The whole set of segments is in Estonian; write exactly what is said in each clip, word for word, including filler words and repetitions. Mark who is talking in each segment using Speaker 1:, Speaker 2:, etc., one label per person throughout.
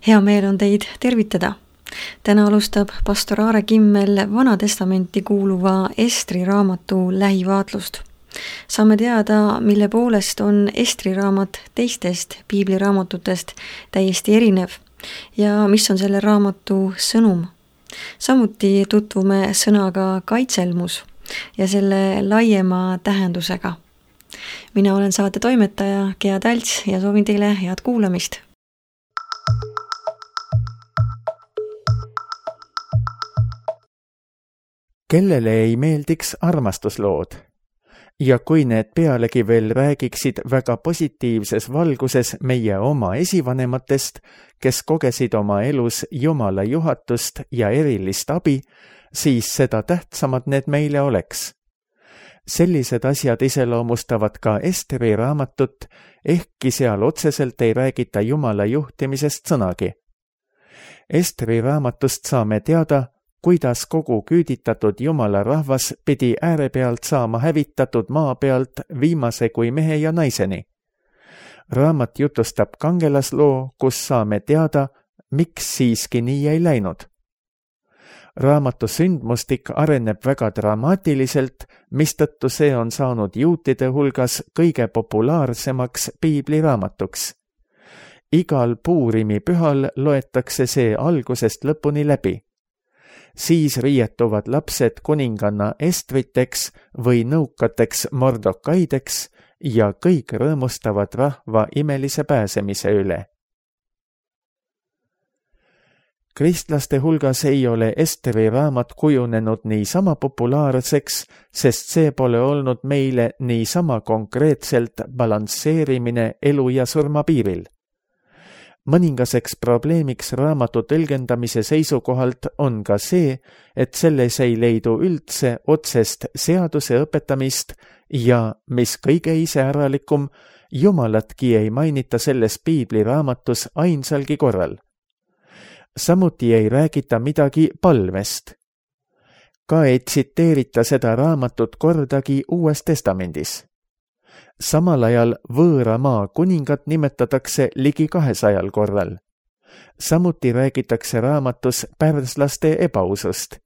Speaker 1: Hea meel on teid tervitada. Täna alustab pastor Aare Kimmel Vana Testamenti kuuluva Estri raamatu lähivaatlust. Saame teada, mille poolest on Estri raamat teistest piibliraamatutest täiesti erinev ja mis on selle raamatu sõnum. Samuti tutvume sõnaga kaitselmus ja selle laiema tähendusega. Mina olen saate toimetaja Gea Talts ja soovin teile head kuulamist.
Speaker 2: Kellele ei meeldiks armastuslood? Ja kui need pealegi veel räägiksid väga positiivses valguses meie oma esivanematest, kes kogesid oma elus Jumala juhatust ja erilist abi, siis seda tähtsamad need meile oleks. Sellised asjad iseloomustavad ka Estri raamatut, ehkki seal otseselt ei räägita Jumala juhtimisest sõnagi. Estri raamatust saame teada, kuidas kogu küüditatud Jumala rahvas pidi äärepealt saama hävitatud maa pealt viimase kui mehe ja naiseni. Raamat jutustab kangelasloo, kus saame teada, miks siiski nii ei läinud. Raamatu sündmustik areneb väga dramaatiliselt, mistõttu see on saanud juutide hulgas kõige populaarsemaks piibliraamatuks. Igal Puurimi pühal loetakse see algusest lõpuni läbi. Siis riietuvad lapsed kuninganna Estriteks või nõukateks Mordokaideks ja kõik rõõmustavad rahva imelise pääsemise üle. Kristlaste hulgas ei ole Estri raamat kujunenud niisama populaarseks, sest see pole olnud meile niisama konkreetselt balansseerimine elu ja surma piiril. Mõningaseks probleemiks raamatu tõlgendamise seisukohalt on ka see, et selles ei leidu üldse otsest seaduse õpetamist ja, mis kõige iseäralikum, Jumalatki ei mainita selles piibliraamatus ainsalgi korral. Samuti ei räägita midagi palvest. Ka ei tsiteerita seda raamatut kordagi Uues Testamendis. Samal ajal võõra maa kuningat nimetatakse ligi kahesajal korral. Samuti räägitakse raamatus pärslaste ebausust.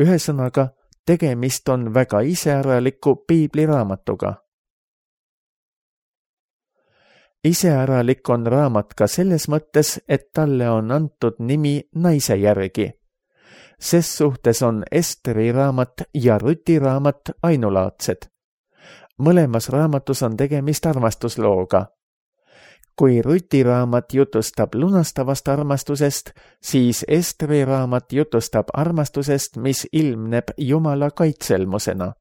Speaker 2: Ühesõnaga, tegemist on väga iseäraliku piibliraamatuga. Iseäralik on raamat ka selles mõttes, et talle on antud nimi naise järgi. Ses suhtes on Estri raamat ja Rüti raamat ainulaadsed. Mõlemas raamatus on tegemist armastuslooga. Kui Rüti raamat jutustab lunastavast armastusest, siis Estri raamat jutustab armastusest, mis ilmneb Jumala kaitselmusena.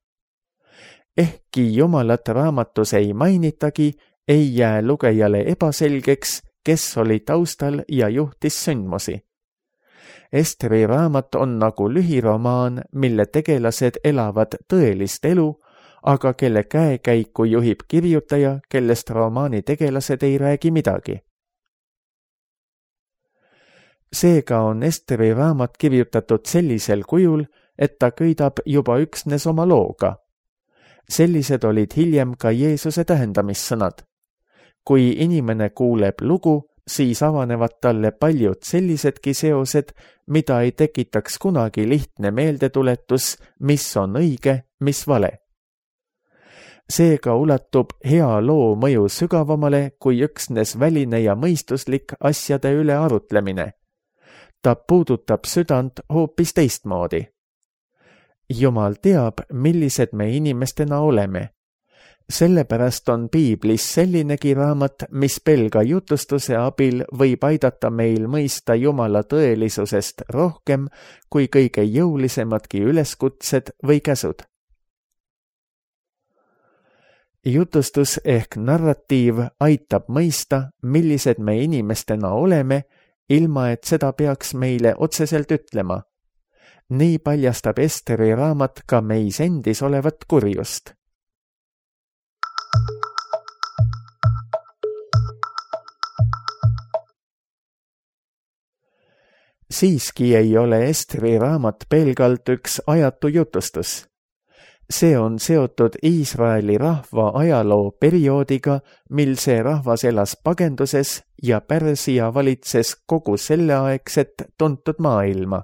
Speaker 2: Ehkki Jumalat raamatus ei mainitagi, ei jää lugejale ebaselgeks, kes oli taustal ja juhtis sündmusi. Estri raamat on nagu lühiromaan, mille tegelased elavad tõelist elu, aga kelle käekäiku juhib kirjutaja, kellest romaani tegelased ei räägi midagi. Seega on Estri raamat kirjutatud sellisel kujul, et ta kõidab juba üksnes oma looga. Sellised olid hiljem ka Jeesuse tähendamissõnad. Kui inimene kuuleb lugu, siis avanevad talle paljud sellisedki seosed, mida ei tekitaks kunagi lihtne meeldetuletus, mis on õige, mis vale. Seega ulatub hea loo mõju sügavamale kui üksnes väline ja mõistuslik asjade üle arutlemine. Ta puudutab südant hoopis teistmoodi. Jumal teab, millised me inimestena oleme. Sellepärast on piiblis sellinegi raamat, mis pelga jutustuse abil võib aidata meil mõista Jumala tõelisusest rohkem kui kõige jõulisemadki üleskutsed või käsud. Jutustus ehk narratiiv aitab mõista, millised me inimestena oleme, ilma et seda peaks meile otseselt ütlema. Nii paljastab Estri raamat ka meis endis olevat kurjust. Siiski ei ole Estri raamat pelgalt üks ajatu jutustus. see on seotud Iisraeli rahva ajaloo perioodiga, mil see rahvas elas pagenduses ja Pärsia valitses kogu selleaegset tuntud maailma.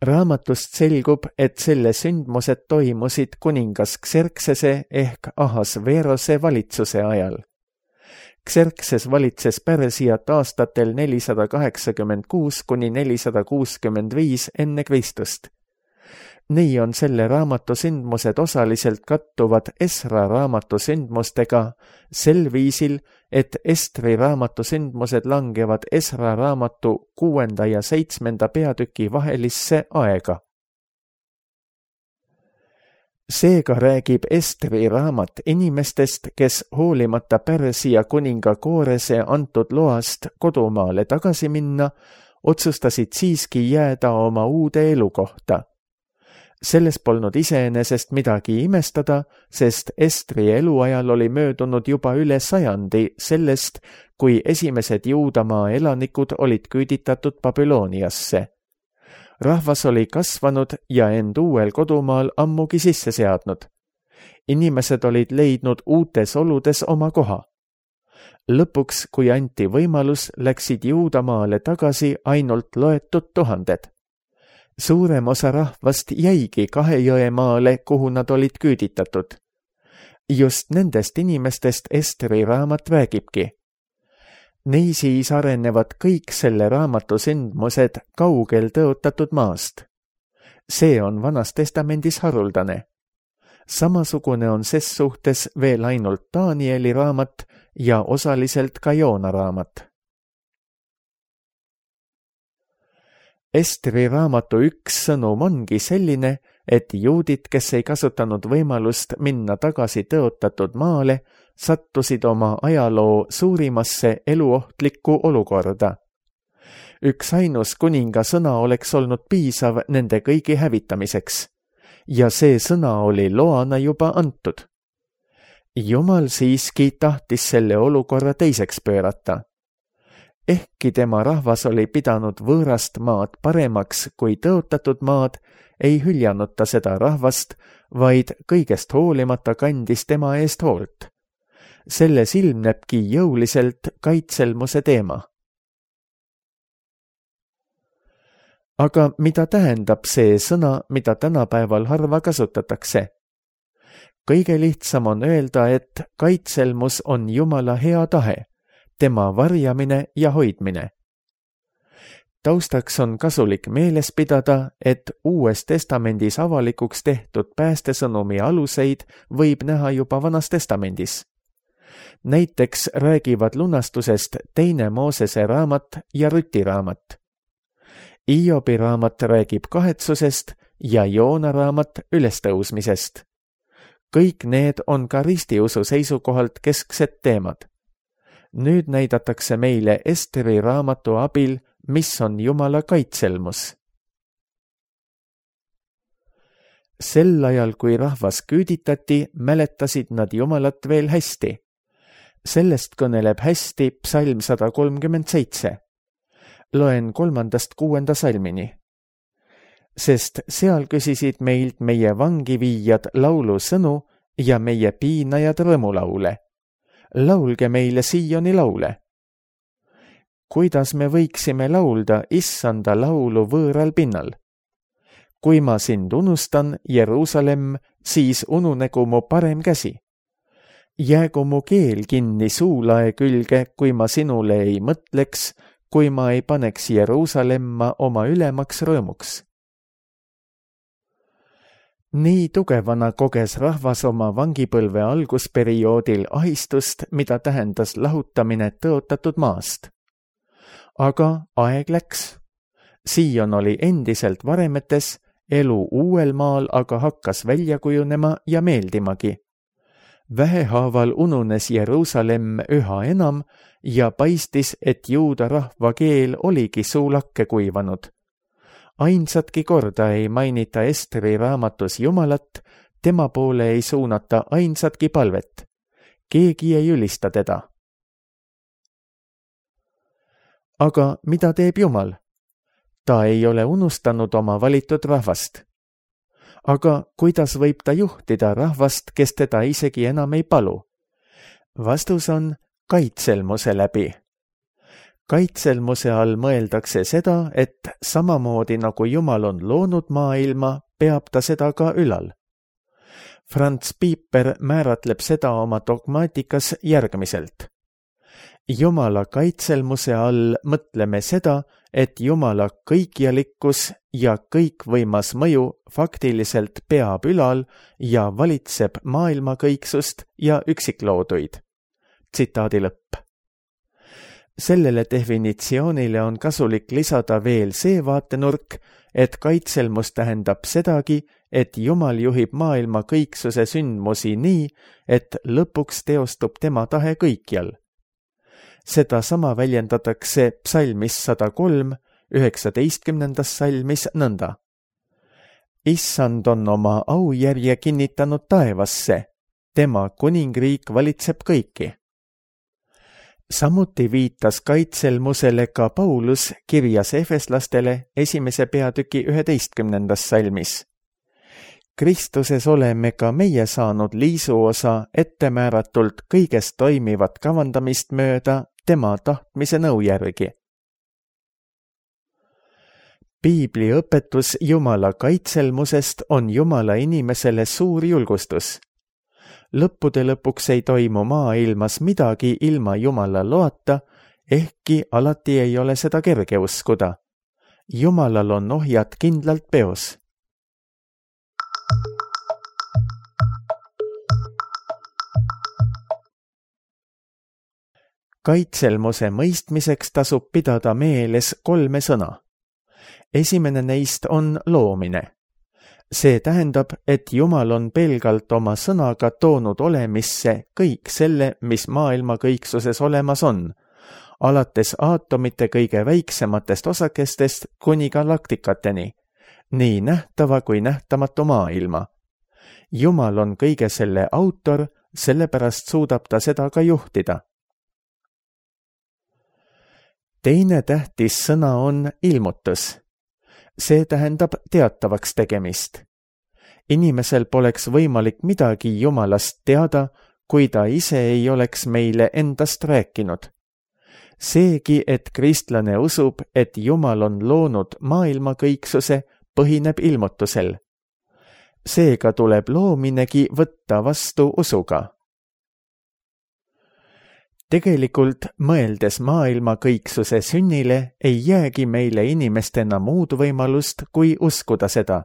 Speaker 2: Raamatust selgub, et selle sündmused toimusid kuningas Xerxese ehk Ahasverose valitsuse ajal. Xerxes valitses Pärsiat aastatel nelisada kaheksakümmend kuus kuni nelisada kuuskümmend viis enne Kristust. Nii on selle raamatu sündmused osaliselt kattuvad Esra raamatu sündmustega sel viisil, et Estri raamatu sündmused langevad Esra raamatu kuuenda ja seitsmenda peatüki vahelisse aega. Seega räägib Estri raamat inimestest, kes hoolimata Pärsia kuninga Koorese antud loast kodumaale tagasi minna, otsustasid siiski jääda oma uude elukohta. Selles polnud iseenesest midagi imestada, sest Estri eluajal oli möödunud juba üle sajandi sellest, kui esimesed Juudamaa elanikud olid küüditatud Babyloniasse. Rahvas oli kasvanud ja end uuel kodumaal ammugi sisse seadnud. Inimesed olid leidnud uutes oludes oma koha. Lõpuks, kui anti võimalus, läksid Juudamaale tagasi ainult loetud tuhanded. Suurem osa rahvast jäigi Kahe jõe maale, kuhu nad olid küüditatud. Just nendest inimestest Estri raamat räägibki. Neisiis arenevad kõik selle raamatu sündmused kaugel tõotatud maast. See on Vanas Testamendis haruldane. Samasugune on ses suhtes veel ainult Danieli raamat ja osaliselt ka Joona raamat. Estri raamatu üks sõnum ongi selline, et juudid, kes ei kasutanud võimalust minna tagasi tõotatud maale, sattusid oma ajaloo suurimasse eluohtlikku olukorda. Üks ainus kuninga sõna oleks olnud piisav nende kõigi hävitamiseks, ja see sõna oli loana juba antud. Jumal siiski tahtis selle olukorra teiseks pöörata. Ehkki tema rahvas oli pidanud võõrast maad paremaks kui tõotatud maad, ei hüljanud ta seda rahvast, vaid kõigest hoolimata kandis tema eest hoolt. Selles ilmnebki jõuliselt kaitselmuse teema. Aga mida tähendab see sõna, mida tänapäeval harva kasutatakse? Kõige lihtsam on öelda, et kaitselmus on Jumala hea tahe, tema varjamine ja hoidmine. Taustaks on kasulik meeles pidada, et Uues Testamendis avalikuks tehtud päästesõnumi aluseid võib näha juba Vanas Testamendis. Näiteks räägivad lunastusest teine Moosese raamat ja Rüti raamat. Iobi raamat räägib kahetsusest ja Joona raamat ülestõusmisest. Kõik need on ka ristiusu seisukohalt kesksed teemad. Nüüd näidatakse meile Estri raamatu abil, mis on Jumala kaitselmus. Sel ajal, kui rahvas küüditati, mäletasid nad Jumalat veel hästi. Sellest kõneleb hästi psalm sada kolmkümmend seitse. Loen kolmandast kuuenda salmini. Sest seal küsisid meilt meie vangiviijad laulu sõnu ja meie piinajad rõõmulaule. Laulge meile Sioni laule. Kuidas me võiksime laulda issanda laulu võõral pinnal? Kui ma sind unustan, Jeruusalemm, siis ununegu mu parem käsi. Jäägu mu keel kinni suulae külge, kui ma sinule ei mõtleks, kui ma ei paneks Jeruusalemma oma ülemaks rõõmuks. Nii tugevana koges rahvas oma vangipõlve algusperioodil ahistust, mida tähendas lahutamine tõotatud maast. Aga aeg läks. Siion oli endiselt varemetes, elu uuel maal aga hakkas välja kujunema ja meeldimagi. Vähehaaval ununes Jeruusalemm üha enam ja paistis, et juuda rahva keel oligi suulakke kuivanud. Ainsatki korda ei mainita Estri raamatus Jumalat, tema poole ei suunata ainsatki palvet. Keegi ei ülista teda. Aga mida teeb Jumal? Ta ei ole unustanud oma valitud rahvast. aga kuidas võib ta juhtida rahvast, kes teda isegi enam ei palu? Vastus on kaitselmuse läbi. Kaitselmuse all mõeldakse seda, et samamoodi nagu Jumal on loonud maailma, peab ta seda ka ülal. Franz Pieper määratleb seda oma dogmaatikas järgmiselt. Jumala kaitselmuse all mõtleme seda, et Jumala kõikjalikkus ja kõikvõimas mõju faktiliselt peab ülal ja valitseb maailma kõiksust ja üksiklooduid. Tsitaadi lõpp. Sellele definitsioonile on kasulik lisada veel see vaatenurk, et kaitselmus tähendab sedagi, et Jumal juhib maailma kõiksuse sündmusi nii, et lõpuks teostub tema tahe kõikjal. Seda sama väljendatakse psalmis sada kolm, üheksateistkümnendas salmis nõnda. Issand on oma aujärje kinnitanud taevasse, tema kuningriik valitseb kõiki. Samuti viitas kaitselmusele ka Paulus kirjas efeslastele esimese peatüki üheteistkümnendas salmis. Kristuses oleme ka meie saanud liisuosa ettemääratult kõigest toimivat kavandamist mööda tema tahtmise nõu järgi. Piibli õpetus Jumala kaitselmusest on Jumala inimesele suur julgustus. Lõppude lõpuks ei toimu maailmas midagi ilma Jumala loata, ehkki alati ei ole seda kerge uskuda. Jumalal on ohjad kindlalt peos. Kaitselmuse mõistmiseks tasub pidada meeles kolme sõna. Esimene neist on loomine. See tähendab, et Jumal on pelgalt oma sõnaga toonud olemisse kõik selle, mis maailma kõiksuses olemas on, alates aatomite kõige väiksematest osakestest kuni galaktikateni, nii nähtava kui nähtamatu maailma. Jumal on kõige selle autor, sellepärast suudab ta seda ka juhtida. Teine tähtis sõna on ilmutus. See tähendab teatavaks tegemist. Inimesel poleks võimalik midagi Jumalast teada, kui ta ise ei oleks meile endast rääkinud. Seegi, et kristlane usub, et Jumal on loonud maailma kõiksuse, põhineb ilmutusel. Seega tuleb loominegi võtta vastu usuga. Tegelikult, mõeldes maailma kõiksuse sünnile, ei jäägi meile inimestena muud võimalust, kui uskuda seda.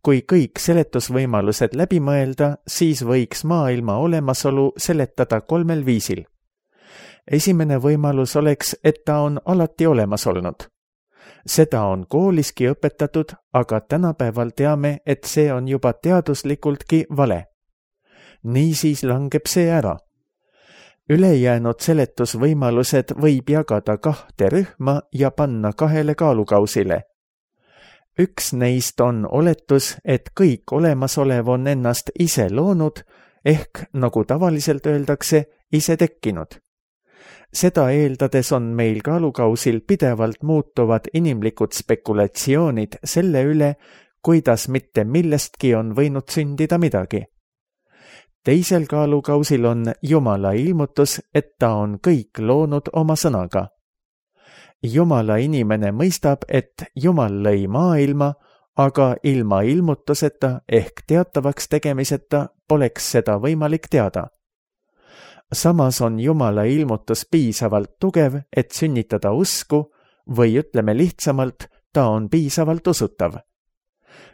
Speaker 2: Kui kõik seletusvõimalused läbi mõelda, siis võiks maailma olemasolu seletada kolmel viisil. Esimene võimalus oleks, et ta on alati olemas olnud. Seda on kooliski õpetatud, aga tänapäeval teame, et see on juba teaduslikultki vale. Niisiis langeb see ära. Ülejäänud seletusvõimalused võib jagada kahte rühma ja panna kahele kaalukausile. Üks neist on oletus, et kõik olemasolev on ennast ise loonud, ehk nagu tavaliselt öeldakse, ise tekkinud. Seda eeldades on meil kaalukausil pidevalt muutuvad inimlikud spekulatsioonid selle üle, kuidas mitte millestki on võinud sündida midagi. Teisel kaalukausil on Jumala ilmutus, et ta on kõik loonud oma sõnaga. Jumala inimene mõistab, et Jumal lõi maailma, aga ilma ilmutuseta ehk teatavaks tegemiseta poleks seda võimalik teada. Samas on Jumala ilmutus piisavalt tugev, et sünnitada usku, või ütleme lihtsamalt, ta on piisavalt usutav.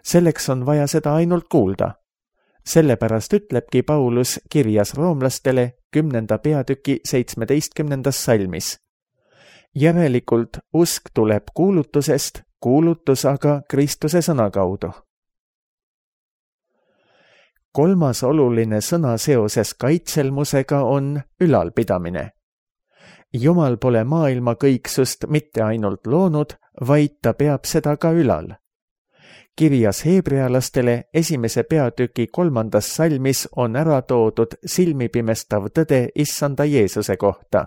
Speaker 2: Selleks on vaja seda ainult kuulda. Sellepärast ütlebki Paulus kirjas roomlastele kümnenda peatüki seitsmeteistkümnendas salmis. Järelikult usk tuleb kuulutusest, kuulutus aga Kristuse sõna kaudu. Kolmas oluline sõna seoses kaitselmusega on ülalpidamine. Jumal pole maailma kõiksust mitte ainult loonud, vaid ta peab seda ka ülal. Kirjas heebrealastele esimese peatüki kolmandas salmis on ära toodud silmipimestav tõde issanda Jeesuse kohta.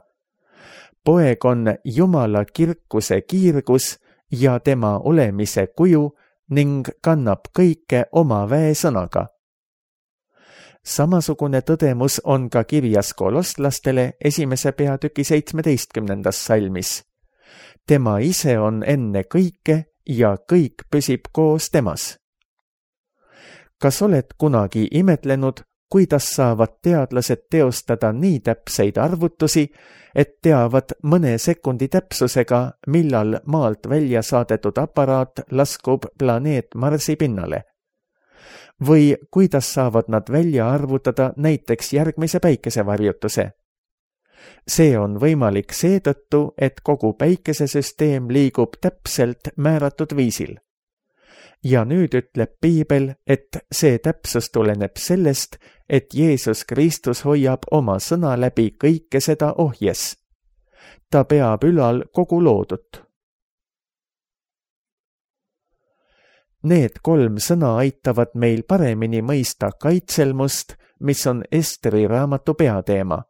Speaker 2: Poeg on Jumala kirkuse kiirgus ja tema olemise kuju ning kannab kõike oma väesõnaga. Samasugune tõdemus on ka kirjas kolostlastele esimese peatüki seitsmeteistkümnendas salmis. Tema ise on enne kõike ja kõik püsib koos temas. Kas oled kunagi imetlenud, kuidas saavad teadlased teostada nii täpseid arvutusi, et teavad mõne sekundi täpsusega, millal maalt välja saadetud aparaat laskub planeet Marsi pinnale? Või kuidas saavad nad välja arvutada näiteks järgmise päikesevarjutuse? See on võimalik seetõttu, et kogu päikesesüsteem liigub täpselt määratud viisil. Ja nüüd ütleb Piibel, et see täpsus tuleneb sellest, et Jeesus Kristus hoiab oma sõna läbi kõike seda ohjes. Ta peab ülal kogu loodut. Need kolm sõna aitavad meil paremini mõista kaitselmust, mis on Esteri raamatu peateema.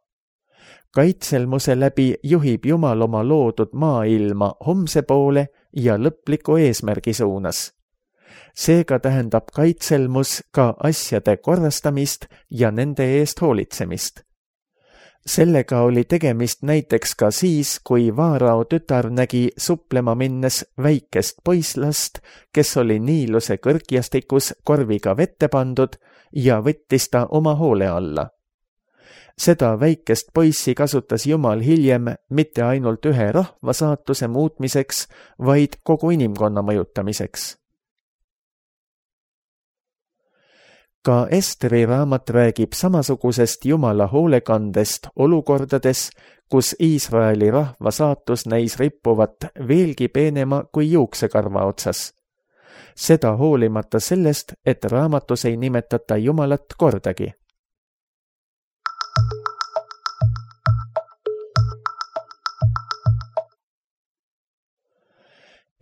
Speaker 2: Kaitselmuse läbi juhib Jumal oma loodud maailma homse poole ja lõpliku eesmärgi suunas. Seega tähendab kaitselmus ka asjade korrastamist ja nende eest hoolitsemist. Sellega oli tegemist näiteks ka siis, kui Vaarao tütar nägi suplema minnes väikest poislast, kes oli Niiluse kõrgjastikus korviga vette pandud ja võttis ta oma hoole alla. Seda väikest poissi kasutas Jumal hiljem mitte ainult ühe rahva saatuse muutmiseks, vaid kogu inimkonna mõjutamiseks. Ka Esteri raamat räägib samasugusest Jumala hoolekandest olukordades, kus Iisraeli rahva saatus näis rippuvat veelgi peenema kui juuksekarva otsas. Seda hoolimata sellest, et raamatus ei nimetata Jumalat kordagi.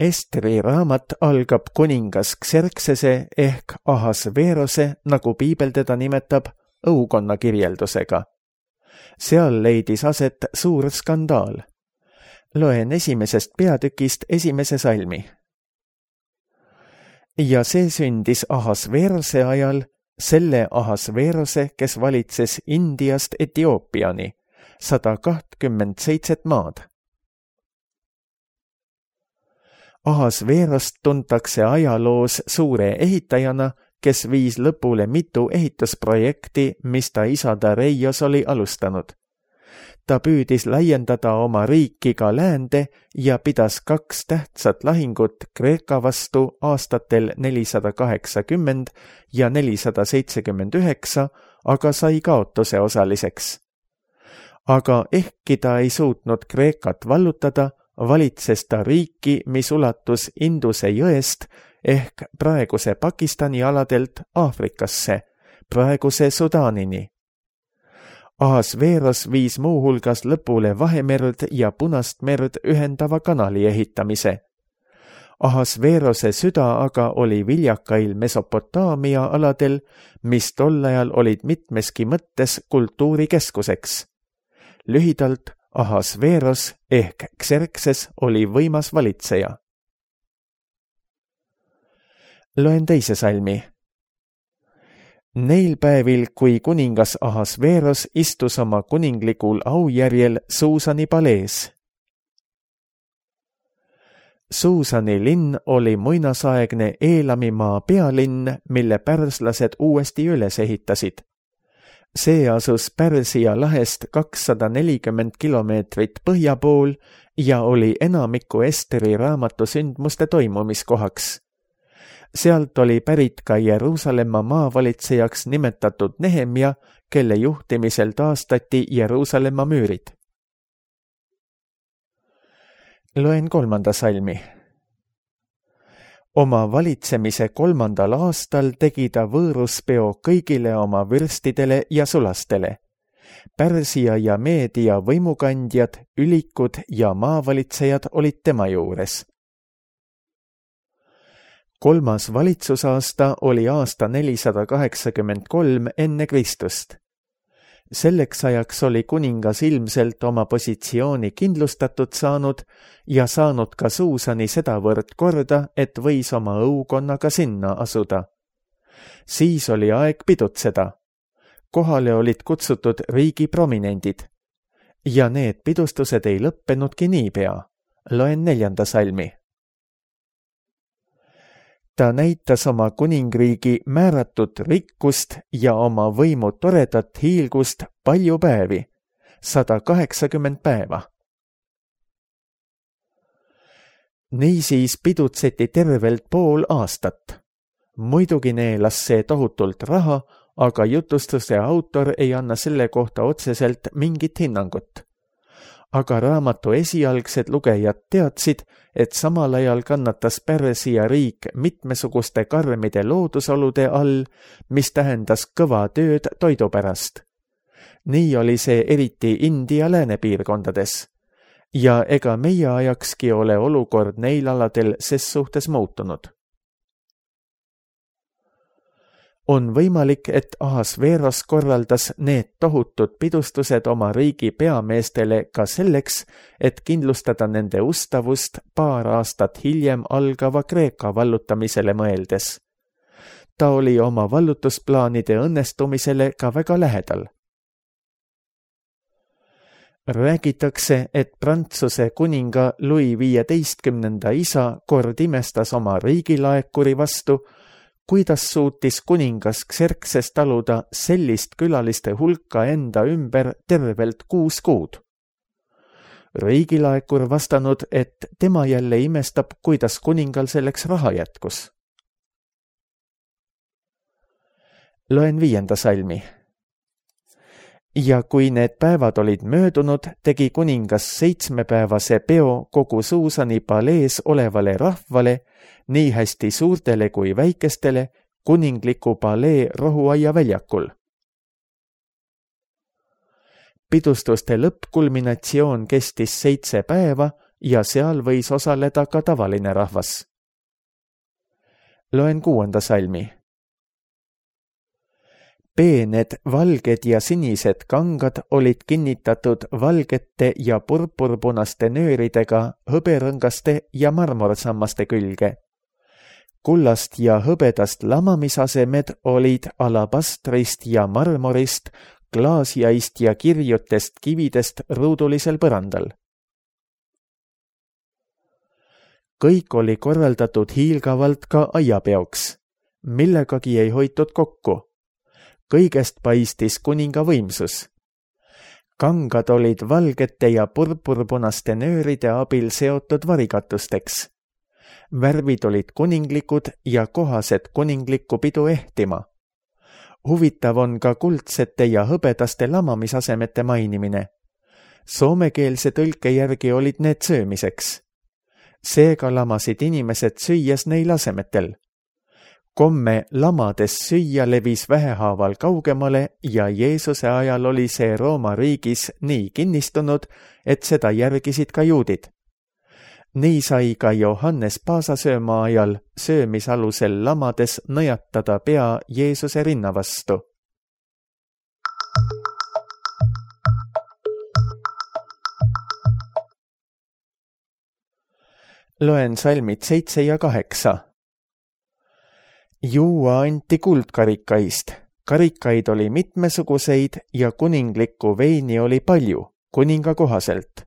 Speaker 2: Esteri raamat algab kuningas Xerxese ehk Ahasveerose, nagu Piibel teda nimetab, õukonna kirjeldusega. Seal leidis aset suur skandaal. Loen esimesest peatükist esimese salmi. Ja see sündis Ahasveerose ajal, selle Ahasveerose, kes valitses Indiast Etioopiani, sada kakskümmend seitset maad. Ahasveerost tuntakse ajaloos suure ehitajana, kes viis lõpule mitu ehitusprojekti, mis ta isa Dareios oli alustanud. Ta püüdis laiendada oma riiki ka läände ja pidas kaks tähtsat lahingut Kreeka vastu aastatel nelisada kaheksakümmend ja nelisada seitsekümmend üheksa, aga sai kaotuse osaliseks. Aga ehkki ta ei suutnud Kreekat vallutada, valitses ta riiki, mis ulatus Induse jõest ehk praeguse Pakistani aladelt Aafrikasse, praeguse Sudaanini. Ahasveeros viis muuhulgas lõpule Vahemerd ja Punast merd ühendava kanali ehitamise. Ahasveerose süda aga oli viljakail Mesopotaamia aladel, mis tol ajal olid mitmeski mõttes kultuurikeskuseks. Lühidalt, Ahasveeros ehk Xerxes oli võimas valitseja. Loen teise salmi. Neil päevil, kui kuningas Ahasveeros istus oma kuninglikul aujärjel Suusani palees. Suusani linn oli muinasaegne Eelamimaa pealinn, mille pärslased uuesti üles ehitasid. See asus Pärsia lahest kakssada nelikümmend kilomeetrit põhja pool ja oli enamiku Esteri raamatu sündmuste toimumiskohaks. Sealt oli pärit ka Jeruusalemma maavalitsejaks nimetatud Nehemja, kelle juhtimisel taastati Jeruusalemma müürid. Loen kolmanda salmi. Oma valitsemise kolmandal aastal tegi ta võõruspeo kõigile oma vürstidele ja sulastele. Pärsia ja Meedia võimukandjad, ülikud ja maavalitsejad olid tema juures. Kolmas valitsusaasta oli aasta nelisada kaheksakümmend kolm enne Kristust. Selleks ajaks oli kuningas ilmselt oma positsiooni kindlustatud saanud ja saanud ka Suusani sedavõrd korda, et võis oma õukonnaga sinna asuda. Siis oli aeg pidutseda. Kohale olid kutsutud riigi prominendid. Ja need pidustused ei lõppenudki niipea. Loen neljanda salmi. Ta näitas oma kuningriigi määratud rikkust ja oma võimu toredat hiilgust palju päevi, sada kaheksakümmend päeva. Niisiis pidutseti tervelt pool aastat. Muidugi neelas see tohutult raha, aga jutustuse autor ei anna selle kohta otseselt mingit hinnangut. Aga raamatu esialgsed lugejad teadsid, et samal ajal kannatas Pärsia riik mitmesuguste karmide loodusolude all, mis tähendas kõva tööd toidu pärast. Nii oli see eriti India läänepiirkondades. Ja ega meie ajakski ole olukord neil aladel ses suhtes muutunud. On võimalik, et Ahasveros korraldas need tohutud pidustused oma riigi peameestele ka selleks, et kindlustada nende ustavust paar aastat hiljem algava Kreeka vallutamisele mõeldes. Ta oli oma vallutusplaanide õnnestumisele ka väga lähedal. Räägitakse, et Prantsuse kuninga Louis viieteistkümnenda isa kord imestas oma riigilaekuri vastu, kuidas suutis kuningas Xerxes taluda sellist külaliste hulka enda ümber tervelt kuus kuud. Riigilaekur vastanud, et tema jälle imestab, kuidas kuningal selleks raha jätkus. Loen viienda salmi. Ja kui need päevad olid möödunud, tegi kuningas seitsmepäevase peo kogu Suusani palees olevale rahvale, nii hästi suurtele kui väikestele, kuningliku palee rohuaia väljakul. Pidustuste lõppkulminatsioon kestis seitse päeva ja seal võis osaleda ka tavaline rahvas. Loen kuuenda salmi. Peened, valged ja sinised kangad olid kinnitatud valgete ja purpurpunaste nööridega hõberõngaste ja marmorsammaste külge. Kullast ja hõbedast lamamisasemed olid alabastrist ja marmorist, klaasjaist ja kirjutest kividest ruudulisel põrandal. Kõik oli korraldatud hiilgavalt ka aiapeoks, millegagi ei hoitud kokku. Kõigest paistis kuninga võimsus. Kangad olid valgete ja purpurpunaste nööride abil seotud varikatusteks. Värvid olid kuninglikud ja kohased kuninglikku pidu ehtima. Huvitav on ka kuldsete ja hõbedaste lamamisasemete mainimine. Soomekeelse tõlke järgi olid need söömiseks. Seega lamasid inimesed süües neil asemetel. Komme lamades süüa levis vähehaaval kaugemale ja Jeesuse ajal oli see Rooma riigis nii kinnistunud, et seda järgisid ka juudid. Nii sai ka Johannes paasasööma ajal söömisalusel lamades nõjatada pea Jeesuse rinna vastu. Loen salmid seitse ja kaheksa. Juua anti kuldkarikaist, karikaid oli mitmesuguseid ja kuninglikku veini oli palju, kuninga kohaselt.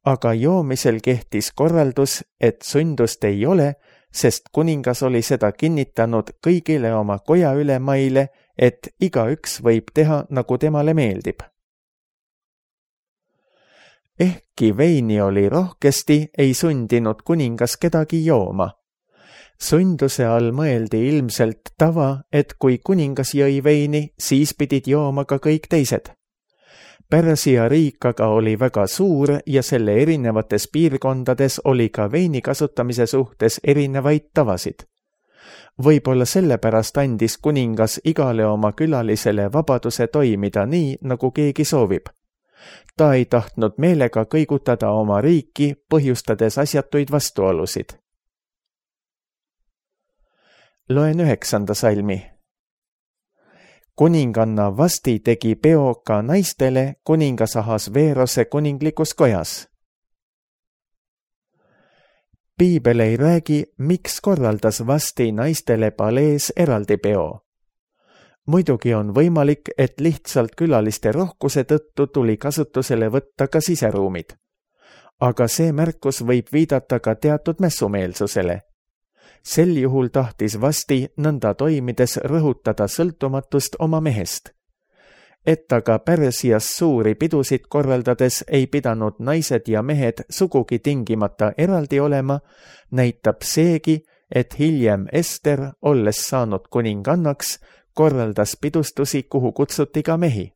Speaker 2: Aga joomisel kehtis korraldus, et sundust ei ole, sest kuningas oli seda kinnitanud kõigile oma koja ülemaile, et igaüks võib teha, nagu temale meeldib. Ehkki veini oli rohkesti, ei sundinud kuningas kedagi jooma. Sunduse all mõeldi ilmselt tava, et kui kuningas jõi veini, siis pidid jooma ka kõik teised. Pärsia riik aga oli väga suur ja selle erinevates piirkondades oli ka veini kasutamise suhtes erinevaid tavasid. Võib-olla sellepärast andis kuningas igale oma külalisele vabaduse toimida nii, nagu keegi soovib. Ta ei tahtnud meelega kõigutada oma riiki, põhjustades asjatuid vastuolusid. Loen üheksanda salmi. kuninganna Vasti tegi peo ka naistele kuningas Ahasveerose kuninglikus kojas. Piibel ei räägi, miks korraldas Vasti naistele palees eraldi peo. Muidugi on võimalik, et lihtsalt külaliste rohkuse tõttu tuli kasutusele võtta ka siseruumid. Aga see märkus võib viidata ka teatud mässumeelsusele. Sel juhul tahtis Vasti nõnda toimides rõhutada sõltumatust oma mehest. Et aga Pärsias suuri pidusid korraldades ei pidanud naised ja mehed sugugi tingimata eraldi olema, näitab seegi, et hiljem Ester, olles saanud kuningannaks, korraldas pidustusi, kuhu kutsuti ka mehi.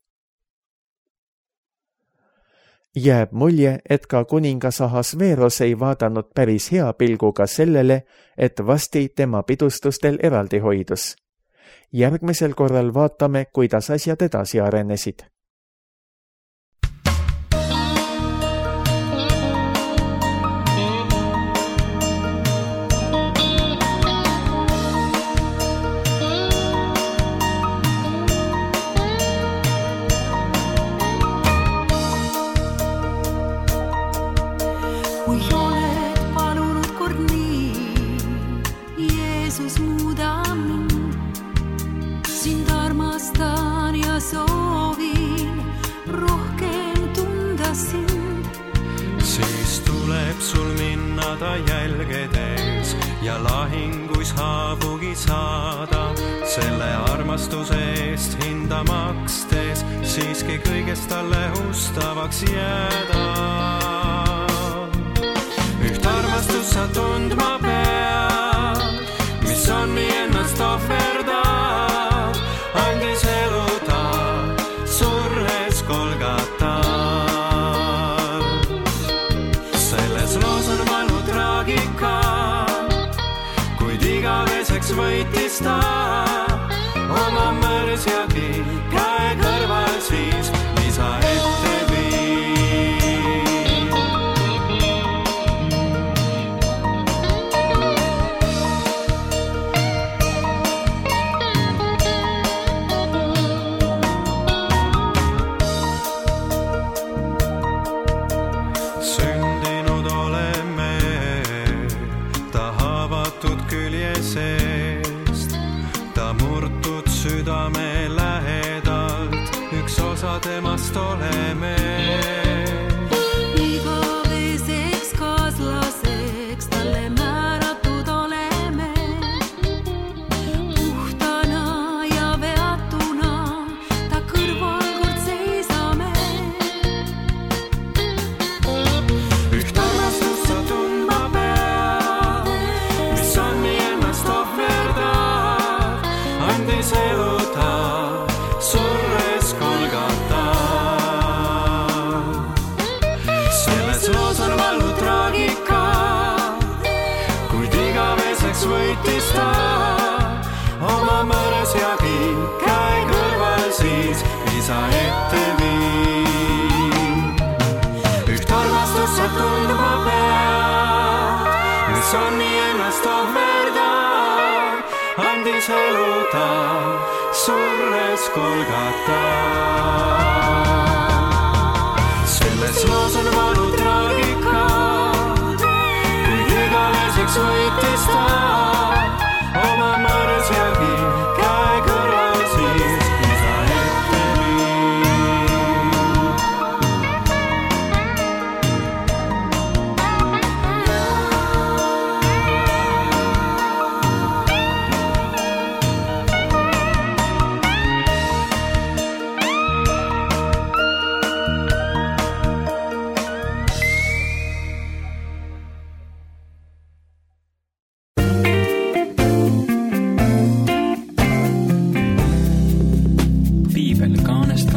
Speaker 2: Jääb mulje, et ka kuningas Ahasveeros ei vaadanud päris hea pilguga sellele, et Vasti tema pidustustel eraldi hoidus. Järgmisel korral vaatame, kuidas asjad edasi arenesid.
Speaker 3: Sul minna ta jälgedes ja lahinguis haavugi saada, selle armastuse eest hinda makstes siiski kõigest talle ustavaks jääda. Üht armastust sa tundma pead, mis on nii ennast ohverdab, andis elu ta surres Golgata. Kuid igaveseks võitis ta oma mõrsjagi käe kõrval siis isa ette viib. Sündinud oleme külje seest, ta murtud südame lähedalt, üks osa temast oleme. Igaveseks kaaslaseks talle määratud oleme, puhtana ja veatuna ta kõrval kord seisame. Üht armastust sa tundma pead, andis elu ta surres Golgata. Selles loos on vallu traagika, kuid igaveseks võitis ta oma mõrsjagi käe kõrval siis isa ette viib. Üht armastust sa tundma pead, mis on nii ennast ohverdab, andis elu ta surres Golgata. Selles loos on valu traagika, kuid igaveseks võitis ta oma mõrsjagi käe kõrval siis isa ette Kaanest